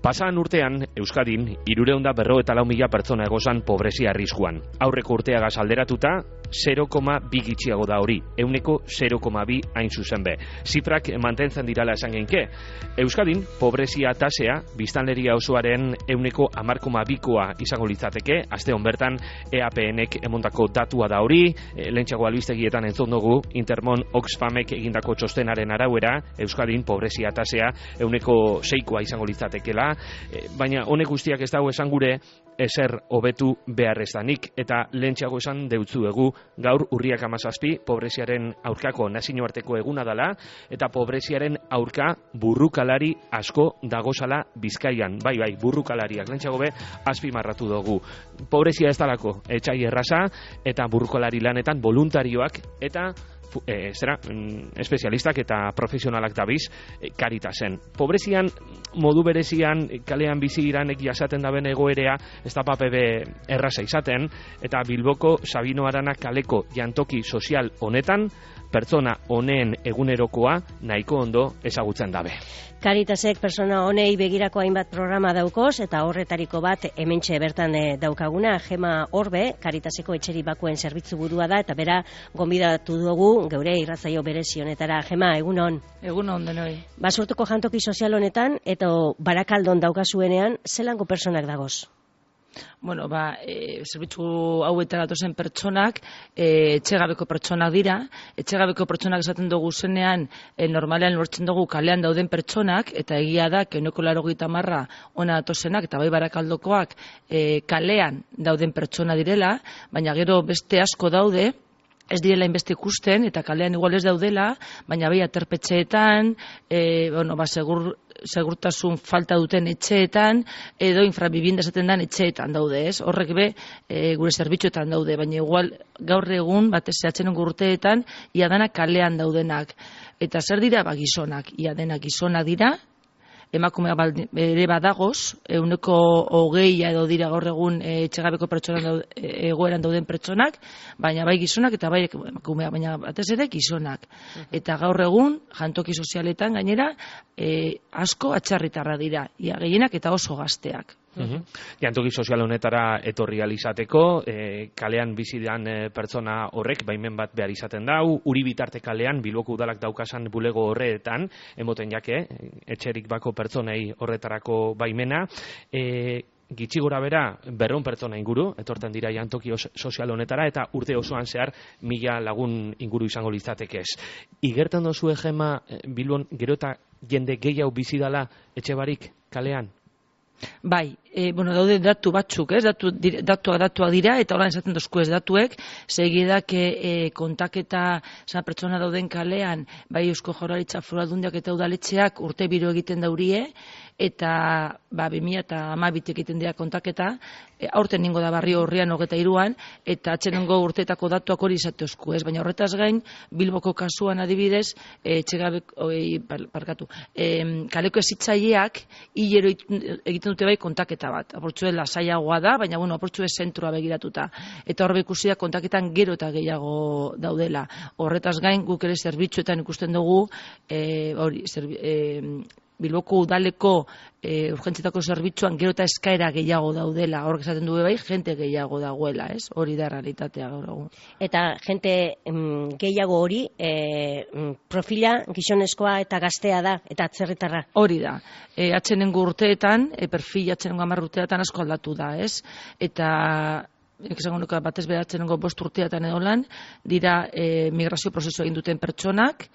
Pasadan urtean, Euskadin, 354.000 pertsona egozan pobrezia arriskuan. Aurreko urteagaz alderatuta, 0,2 gitxiago da hori, 0,2 hain zuzen be. Zifrak mantentzen dirala esan genke. Euskadin, pobrezia tasea, biztanleria osoaren 10,2koa izango litzateke, aste hon bertan, EAPNek emondako datua da hori, lehentxago albistegietan entzun dugu, Intermon Oxfamek egindako txostenaren arauera, Euskadin, pobrezia tasea, 6koa izango litzatekela, baina honek guztiak ez dago esan gure ezer hobetu beharrezdanik, eta lehentxeago esan deutzuegu gaur urriak 17 pobreziaren aurkako nazioarteko eguna dela, eta pobreziaren aurka burrukalari asko dagozala Bizkaian. Bai, burrukalariak lehentxeago be azpimarratu dugu. Pobrezia ez dalako etxai erraza, eta burrukalari lanetan voluntarioak eta espezialistak eta profesionalak dabiz Caritasen. Pobrezian, modu berezian, kalean bizi iranek jasaten daben egoerea, ez da papebe erraza izaten, eta Bilboko Sabino Arana kaleko jantoki sozial honetan, pertsona honeen egunerokoa nahiko ondo ezagutzen dabe. Caritasek pertsona honei begirako hainbat programa daukoz, eta horretariko bat hementxe bertan daukaguna, Gema Orbe, Caritaseko etxeri bakuen zerbitzu burua da, eta bera gonbidatu dugu geure irratzaio berezi honetara. Gema, egunon. Egunon denoi. Basurtuko jantoki sozial honetan, eta Barakaldon daukazuenean, zelango pertsonak dagoz? Bueno, zerbitzu hauetara datozen pertsonak, etxegabeko pertsonak dira. Etxegabeko pertsonak esaten dugu zenean, normalean lortzen dugu kalean dauden pertsonak, eta egia da, 80% ona datozenak, eta bai Barakaldokoak kalean dauden pertsona direla, baina gero beste asko daude, ez direla inbeste ikusten, eta kalean igual ez daudela, baina bai aterpetxeetan, segurtasun falta duten etxeetan, edo infrabibienda esaten den etxeetan daude, ez? Horrek be, gure zerbitzuetan daude, baina igual gaur egun, batez atzenengo urteetan, ia dana kalean daudenak. Eta zer dira? Gizonak, ia denak gizonak dira, emakumea ere badagoz, 20 edo dira gaur egun etxegabeko pertsonan egoeran dauden pertsonak, baina bai gizonak eta bai emakumea, baina batez ere gizonak. Eta gaur egun, jantoki sozialetan gainera, asko atzerritarra dira, ia gehienak eta oso gazteak. Jantoki sozial honetara etorri alizateko, kalean bizidan pertsona horrek baimen bat behar izaten dau, uri bitarte kalean Bilboko udalak daukasan bulego horretan, emoten jake, etxerik bako pertsonei horretarako baimena, gitxi gora bera 200 pertsona inguru, etorten dira jantoki sozial honetara, eta urte osoan zehar 1000 lagun inguru izango litzatekez. Igertan dozue, Gema, Bilbon gero eta jende gehiago bizidala etxe barik kalean? Bai, daude datu batzuk, ez? Datuak dira, eta horan esaten dozku ez datuek, segidak kontaketa pertsona dauden kalean, bai Eusko Jaurlaritza Foru Aldundiak eta udaletxeak urte biro egiten daurie, eta 2012 egiten dira kontaketa, aurten ningo da barrio horrian 23an, eta atzenengo urteetako datuak hori izatezku, ez? Baina horretaz gain, Bilboko kasuan adibidez, kaleko ezitzaileak hilero egiten dute bai kontaketa bat. Aportzue lasaiagoa da, baina aportzue zentrua begiratuta. Eta horbe ikusia kontaketan gero eta gehiago daudela. Horretaz gain, guk ere zerbitzuetan ikusten dugu, Bilboko udaleko urgentzietako zerbitzuan gero eta eskaera gehiago daudela. Horrek esaten du bai, jente gehiago dagoela, ez? Hori da realitatea gaur egun. Eta jente gehiago hori, profila gizonezkoa eta gaztea da, eta atzerritarra? Hori da. Atzenengo urteetan, perfil atzenengo 10 urteetan asko aldatu da, ez? Eta esango nuke batez beratzen 5 urteetan edo lan, dira migrazio prozesu egin duten pertsonak,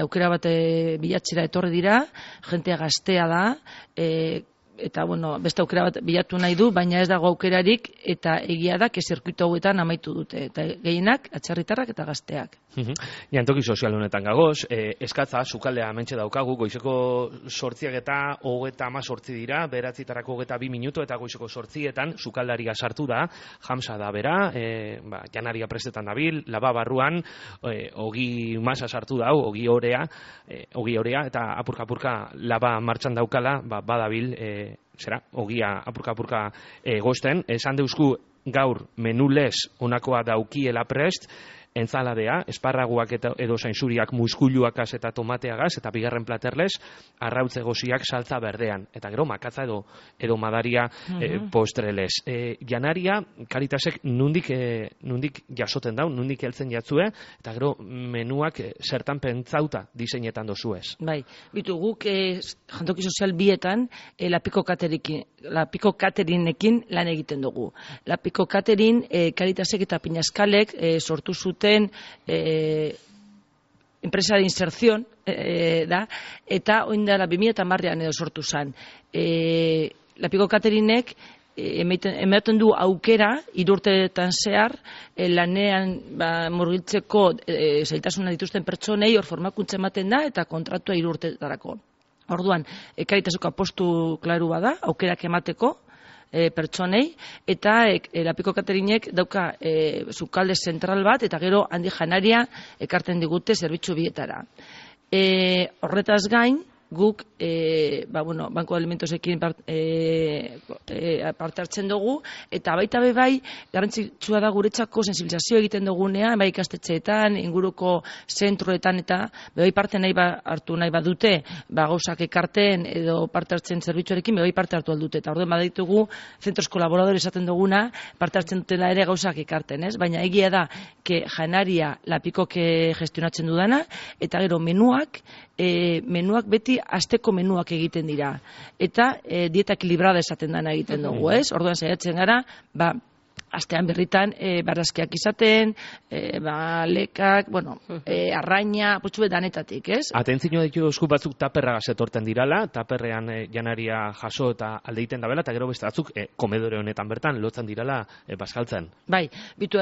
aukera bat bilatzera etorri dira, jentea gaztea da, eta beste aukera bat bilatu nahi du, baina ez dago aukerarik, eta egia da, zirkuitu hauetan amaitu dute, eta gehienak atzerritarrak eta gazteak. Jantoki sozial honetan gagoz, eskatza, sukaldea hementxe daukagu, goizeko 7:38 dira, 9:22 minutu, eta goizeko 8etan sukaldaria sartu da, jamsa da bera, janaria prestetan dabil, laba barruan, ogi masa sartu dau, ogi orea, eta apurka-apurka laba martxan daukala, badabil, ogia apurka-apurka gosten, esan deusku gaur menulez onakoa daukiela prest, entzaladea, esparraguak edo zainzuriak muskuluakaz eta tomateagaz, eta bigarren platerlez, arrautze goziak saltza berdean, eta gero makatza edo madaria postrelez. Janaria, Caritasek nundik jasoten dau, nundik heltzen jatzue, eta gero menuak zertan pentsauta diseinetan dozuez. Bai, bitu guk jantoki sozial bietan Lapiko Cateringekin lan egiten dugu. Lapiko Catering Caritasek eta Pinaskalek sortu zuten enpresa de inserción da, eta oindara 2010an edo sortu zen. Lapiko Cateringek ematen du aukera 3 urteetan zehar lanean murgiltzeko zailtasuna dituzten pertsonei hor formakuntza ematen da eta kontratua 3 urteetarako. Orduan, Caritaseko apostu klaru bada, aukerak emateko pertsonei, eta Lapiko Cateringek dauka sukalde zentral bat, eta gero handi janaria ekarten digute zerbitzu bietara. Horretaz gain, guk banko alimentosekin parte hartzen dugu, eta baita bai garrantzitsua da guretzako sensibilizazio egiten dugunean, bai ikastetxeetan, inguruko zentroetan, eta bai parte hartu nahi badute, gauzak ekarten edo parte hartzen zerbitzuarekin, bai parte hartu aldute, eta orduan baditugu zentros kolaboradore esaten duguna, parte hartzen dutela ere gauzak ekarten, ez? Baina egia da, janaria Lapikok gestionatzen dudana, eta gero menuak beti asteko menuak egiten dira. Eta dieta ekilibrada esaten dana egiten dugu, ez? Orduan saiatzen gara, astean berritan barazkiak izaten, lekak, arraina, putxube danetatik, ez? Atentzio ditu esku batzuk taperragaz etorten dirala, taperrean janaria jaso eta aldeiten dabela, eta gero beste batzuk komedore honetan bertan lotzen dirala bazkaltzen. Bai, bitu,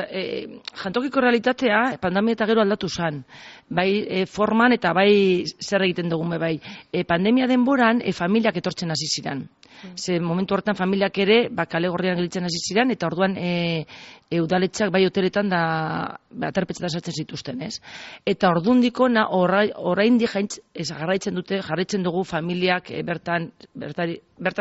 jantokiko realitatea pandemia eta gero aldatu zen. Bai forman eta bai zer egiten dugun bai. Pandemia denboran familiak etortzen hasi ziren. Ze momentu horretan familiak ere kale gorrian gelitzen hasi ziren, eta orduan udaletxak bai hoteletan da aterpetxetan sartzen zituzten, ez? Eta ordundiko oraindik jarraitzen dugu familiak bertan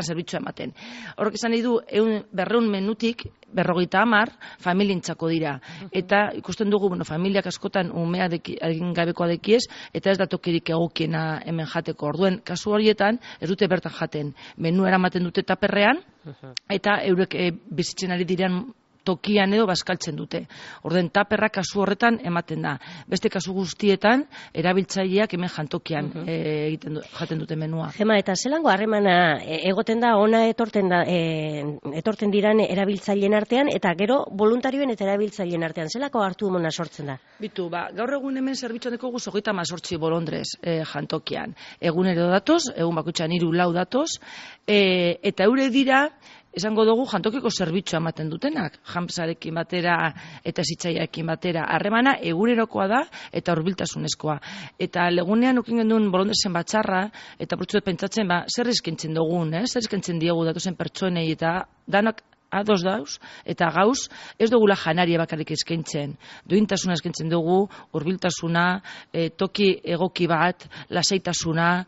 zerbitzua ematen. Horrek esan nahi du 200 menutik 50 familientzako dira. Eta ikusten dugu familiak askotan umea egin gabekoa dekiez, eta ez da tokirik egokiena hemen jateko. Orduen kasu horietan ez dute bertan jaten. Menu eramaten dute taperrean, eta eurek bizitzen ari diren tokian edo bazkaltzen dute. Orden taperra kasu horretan ematen da. Beste kasu guztietan erabiltzaileak hemen jantokian jaten dute menua. Gema, eta zelango harremana egoten da ona etorten diran erabiltzaileen artean, eta gero voluntarioen eta erabiltzaileen artean zelako hartu emona sortzen da? Bitu, gaur egun hemen zerbitzuan dekogu 38 bolondrez jantokian. Egunero datoz, egun bakoitzean 3-4 datoz, eta eure dira esango dugu jantokiko zerbitzua ematen dutenak, jamsarekin batera eta zitzaiarekin batera. Harremana egunerokoa da eta hurbiltasunezkoa. Eta legunean ukin genduen bolondrezen batzarra, eta prutsuet pentsatzen, zer eskentzen dugun, zer eskentzen diegu datozen pertsonei, eta danak ados dauz, eta gauz, ez dugula janaria bakarrik eskaintzen. Duintasuna eskaintzen dugu, hurbiltasuna, toki egoki bat, lasaitasuna,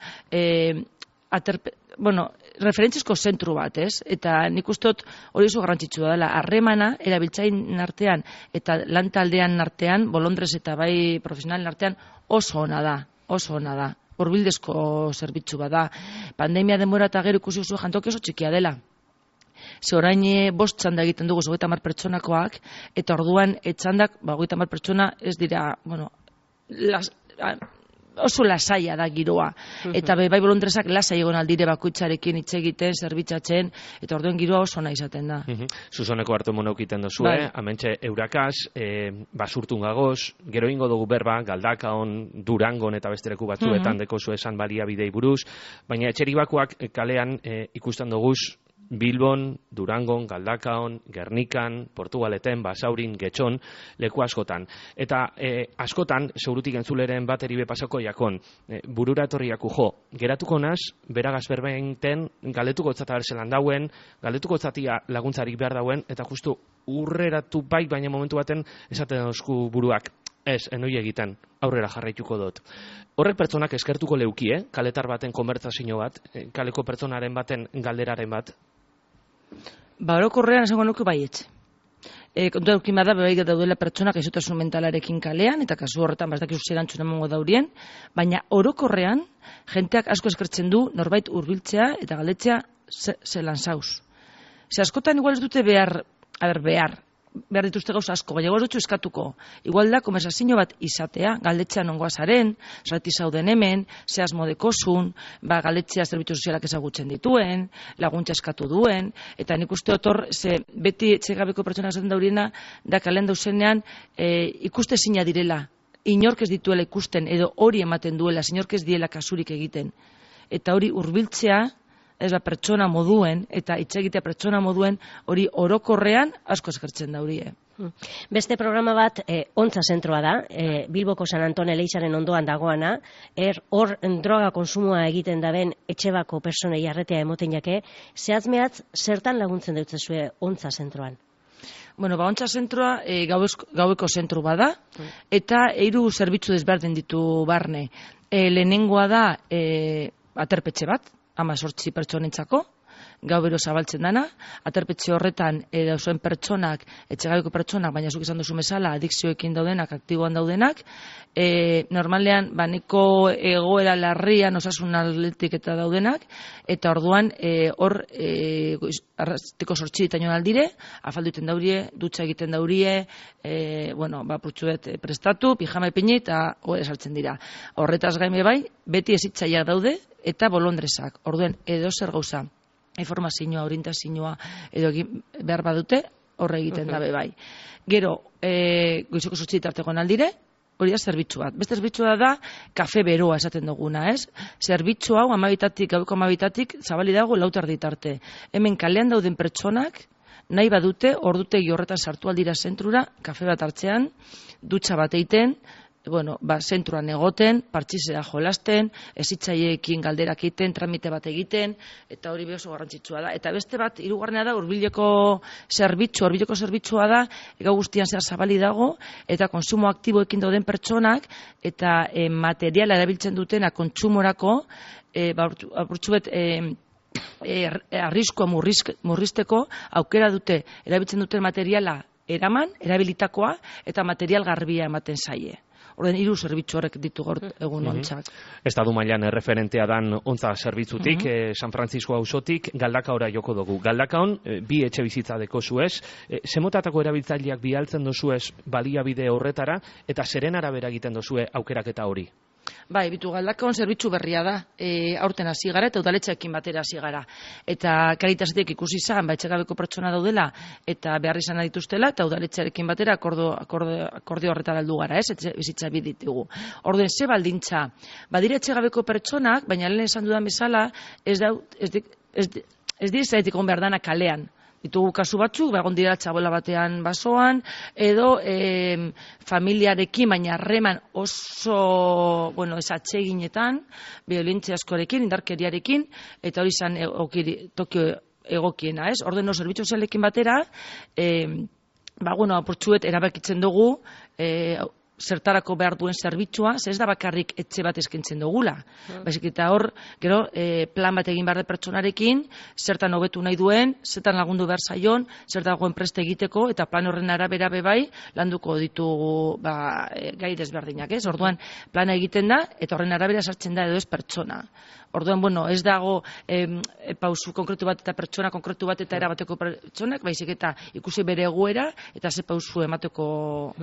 referentzizko zentru bat, ez? Eta nik ustot hori oso garrantzitsua dela. Harremana, erabiltzaien artean eta lantaldean artean, bolondrez eta bai profesionalen artean, oso ona da. Hurbildezko zerbitzu bada. Pandemia denbora eta gero ikusi oso jantoki oso txikia dela. Ze orain 5 txanda egiten dugu 30 pertsonakoak, eta orduan txandak 30 pertsona ez dira, oso lasaia da giroa. Eta bai bolondrezak lasai egon aldire bakoitzarekin hitz egiten, zerbitzatzen, eta orduen giroa oso nahi izaten da. Zuzoneko hartu monaukiten dozu, hementxe eurakaz, basurtun gagoz, gero ingo dugu berba, Galdakaon, Durangon eta bestereku batzuetan deko zu esan baliabidei buruz, baina etxeribakoak kalean ikusten duguz, Bilbon, Durangon, Galdakaon, Gernikan, Portugaleten, Basaurin, Getxon, leku askotan. Eta askotan, segurutik entzuleren bateri bepasako jakon, burura etorriaku geratuko naz, beragaz berbeinten, galdetuko etzata berzelan dauen, galdetuko etzatia laguntzarik behar dauen, eta justu urreratu bai, baina momentu baten esaten dauzku buruak. Ez, enoi egiten, aurrera jarraituko dut. Horrek pertsonak eskertuko leuki, kaletar baten konbertsazio bat, kaleko pertsonaren baten galderaren bat? Orokorrean esango nuke baietz. kontu edukin bada, bebai daudela pertsonak gaixotasun mentalarekin kalean, eta kasu horretan bazdakizu zer erantzun emango daurien, baina orokorrean, jenteak asko eskertzen du norbait hurbiltzea eta galdetzea zelan zauz. Ze askotan igual ez dute behar dituzte gauza asko, baina igual dutxu eskatuko. Igual da, konversazio bat izatea, galdetzea nongoa zaren, zerati zauden hemen, ze asmo dekozun, galdetzea zerbitzu sozialak ezagutzen dituen, laguntza eskatu duen, eta nik uste otor, beti etxegabeko pertsonak esaten dauriena, da kalean dauzenean ikuste zina direla, inork ez dituela ikusten, edo hori ematen duela, inork ez diela kasurik egiten. Eta hori hurbiltzea, ez da pertsona moduen, eta itxegitea pertsona moduen, hori orokorrean asko eskertzen daurie. Beste programa bat, Ontza zentroa da, Bilboko San Anton Elizaren ondoan dagoana, hor droga konsumoa egiten daben etxebako personei arretea emoten jake, zehatz-mehatz zertan laguntzen deutzezue Ontza zentroan? Bueno, Ontza zentroa gaueko zentru bada, eta 3 zerbitzu desberdin ditu barne. Lehenengoa da aterpetxe bat, 18 pertsonentzako, gauero zabaltzen dana, aterpetxe horretan dauzen pertsonak, etxegabeko pertsonak, baina zuk izan duzu bezala, adikzioekin daudenak, aktiboan daudenak, normalean, baneko egoera larrian osasun atletik eta daudenak, eta orduan, hor, arrastiko 8 itaino aldire, afaldu egiten daurie, dutxa egiten daurie, putxuet prestatu, pijama ipini, eta hori saltzen dira. Horretaz gaime bai, beti ezitzaileak daude, eta bolondresak. Orduen, edo zer gauza, informazioa, orientazioa, edo behar badute, horre egiten dabe bai. Gero, goizeko 8 tartekoan aldire, hori da zerbitzu bat. Beste zerbitzua da, kafe beroa esaten duguna, ez? Zerbitzu hau, gaueko 12 zabali dago 4 arte. Hemen kalean dauden pertsonak, nahi badute, ordutegi horretan sartu aldira zentrura, kafe bat hartzean, dutxa bat eiten, zentruan egoten, partxizera jolasten, ezitzaileekin galderak egiten, tramite bat egiten, eta hori oso garrantzitsua da. Eta beste bat, 3. da, hurbileko zerbitzua da, gau guztian zehar zabali dago, eta konsumo aktiboekin dauden pertsonak, eta materiala erabiltzen dutena kontsumorako, apurtxubet, arriskoa murrizteko, aukera dute, erabiltzen duten materiala eraman, erabilitakoa, eta material garbia ematen zaie. Horren 3 zerbitzu horrek ditu gaur egun ontzak. Estadu mailan referentea dan Ontza zerbitzutik, San Francisco auzotik, Galdakaora joko dugu. Galdakaon, 2 etxe bizitza deko zuez, zemotatako erabiltzaileak bialtzen dozuez baliabide horretara, eta zeren arabera egiten dozue aukeraketa hori? Bai, Galdakaon zerbitzu berria da, aurten hasi gara eta udaletxeekin batera hasi gara. Eta Karitasetik ikusi izan, etxegabeko pertsona daudela eta behar izan dituztela, eta udaletxearekin batera akordio horretara heldu gara, ez? Bizitza biditugu. Orduen, ze baldintza? Badire etxegabeko pertsonak, baina lehen esan dudan bezala, ez dira behar dana kalean. Ditugu kasu batzuk, egon dira txabola batean basoan, edo familiarekin, baina harreman oso, esatseginetan, violentzia askorekin, indarkeriarekin, eta hori izan tokio egokiena, ez? Ordeno, zerbitzu sozialekin batera, apurtxuet erabakitzen dugu, zertarako behar duen zerbitzua, ez da bakarrik etxe bat eskaintzen dugula. Baizik eta hor, gero, plan bat egin behar de pertsonarekin, zertan hobetu nahi duen, zertan lagundu behar zaion, zertan dagoen preste egiteko, eta plan horren arabera bebai, landuko ditugu gai desberdinak, ez? Orduan, plana egiten da, eta horren arabera sartzen da edo ez pertsona. Orduan, ez dago pausu konkretu bat eta pertsona konkretu bat eta erabateko pertsonak, baizik eta ikusi bere egoera, eta ze pausu emateko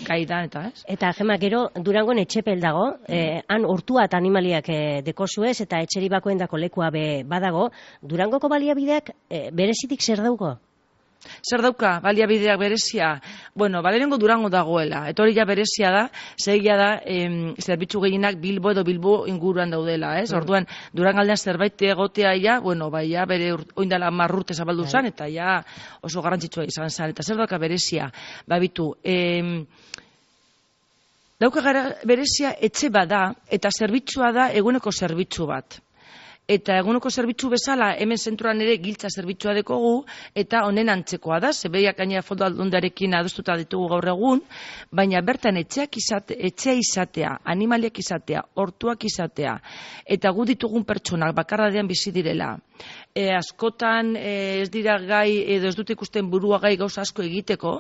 gai da, eta ez? Eta Gema, gero Durangon etxepel dago, han urtua eta animaliak dekozuez, eta etxeri bakoen dako lekua badago, Durangoko baliabideak berezitik zer dauko? Zer dauka, baliabideak berezia? Lehenengo Durango dagoela, eta hori ja berezia da, zegia da, zerbitzu gehienak Bilbo edo Bilbo inguruan daudela, ez? Orduan, Durangaldean zerbait egotea bere oindala 10 urte zabaldu zan, eta oso garrantzitsua izan zan, eta zer dauka berezia? Dauka berezia etxe bada, eta zerbitzua da eguneko zerbitzu bat. Eta eguneko zerbitzu bezala, hemen zentroan ere giltza zerbitzua dekogu, eta honen antzekoa da, zebeiak gainera fondo aldundarekin adostuta ditugu gaur egun, baina bertan etxea izatea, animaliak izatea, hortuak izatea, eta gu ditugun pertsonak bakarradean bizi direla. Askotan ez dira gai, edo ez dute ikusten burua gai gauza asko egiteko,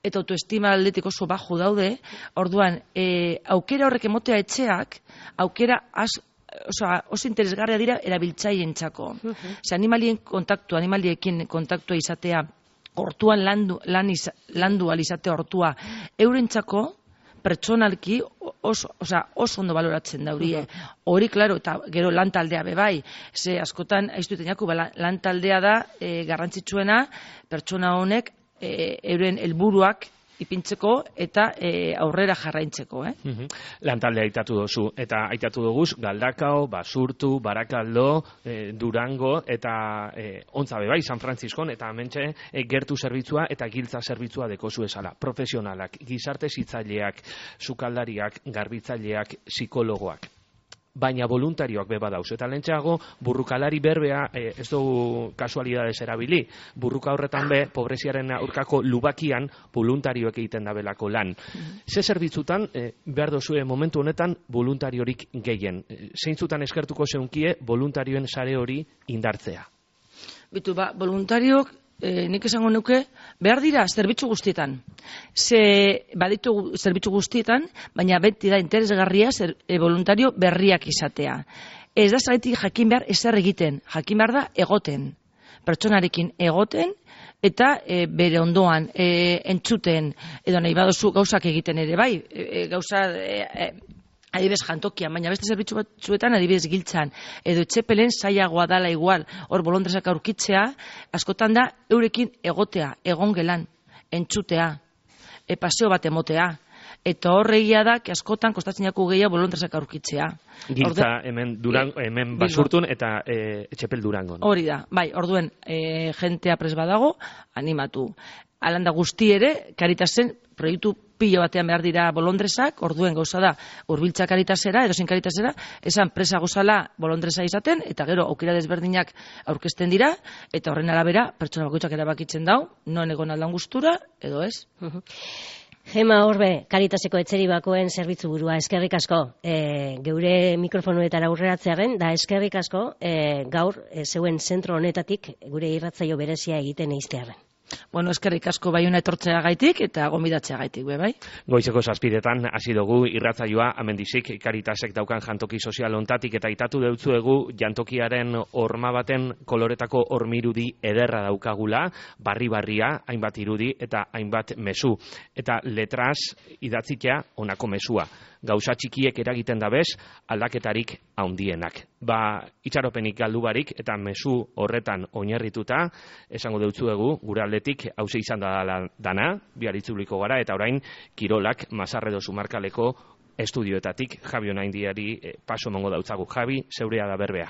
eta autoestima aldetik oso baju daude, orduan, aukera horrek emotea etxeak, aukera oso interesgarria dira erabiltzaileentzako. Animaliekin kontaktua izatea, hortuan landu alizatea hortua, eurentzako pertsonalki oso ondo baloratzen daurie. Hori, klaro, eta gero lantaldea bebai, ze askotan, aiztutenaku, lantaldea da garrantzitsuena pertsona honek euren helburuak ipintzeko eta aurrera jarraintzeko. Lantaldea aitatu dozu, eta aitatu doguz, Galdakao, Basurtu, Barakaldo, Durango, eta Ontza bebai, San Frantziskon, eta hementxe gertu zerbitzua eta giltza zerbitzua dekozu esala. Profesionalak, gizarte zitzaileak, sukaldariak, garbitzaileak, psikologoak. Baina voluntarioak beba dauz. Eta lentxeago, burrukalari berbea, ez dugu kasualidades erabili, burruka horretan be, pobreziaren aurkako lubakian, voluntarioek egiten dabelako lan. Ze zerbitzutan, behar dozue momentu honetan, voluntariorik gehien. Zeintzutan eskertuko zeunkie, voluntarioen sare hori indartzea? Bitu, voluntariok, nik esango nuke, behar dira zerbitzu guztietan. Baditu zerbitzu guztietan, baina beti da interesgarria voluntario berriak izatea. Ez da zaitik jakin behar ezer egiten, jakin behar da egoten. Pertsonarekin egoten, eta bere ondoan entzuten, edo nahi badozu gauzak egiten ere, bai, gauza adibidez jantokian, baina beste zerbitzu batzuetan adibidez giltzan, edo etxepelen zailagoa dala igual, hor bolondresak aurkitzea, askotan da eurekin egotea, egon gelan, entzutea, paseo bat emotea, eta horregia da, askotan kostatzen jaku gehiago bolondresak aurkitzea. Giltza hemen Basurtun eta etxepel Durangon. Hori da, bai, orduen jentea pres badago, animatu. Alanda guzti ere, Karitasen proiektu pilo batean behar dira bolondresak, orduen gauza da, hurbiltza Karitasera, edo zein Karitasera, esan presa gozala bolondresa izaten, eta gero aukera desberdinak aurkezten dira, eta horren arabera, pertsona bakoitzak erabakitzen dau, non egon aldan gustura, edo ez. Gema Orbe, Karitaseko etxeri bakoen zerbitzu burua, eskerrik asko. Geure mikrofonuetara aurreratzearen, da eskerrik asko gaur zeuen zentro honetatik gure irratzaio berezia egiten eiztearen. Bueno, eskerrik asko baiuna etortzea gaitik eta gomidatzea gaitik, bai? Goizeko 7:00 hasi dugu irratzaioa, amendizik Karitasek daukan jantoki sozial ontatik, eta aitatu deutzuegu jantokiaren horma baten koloretako hormirudi ederra daukagula, barri-barria, hainbat irudi eta hainbat mezu. Eta letraz idatzitea honako mezua. Gauza txikiek eragiten dabez, aldaketarik handienak. Itxaropenik galdu barik eta mezu horretan oinarrituta, esango deutzuegu, gure aldetik hauze izan da dana, bihar itzuliko gara, eta orain kirolak Mazarredo Zumarkaleko estudioetatik Javi Onaindiari paso emango dautzagu. Javi, zeurea da berbea.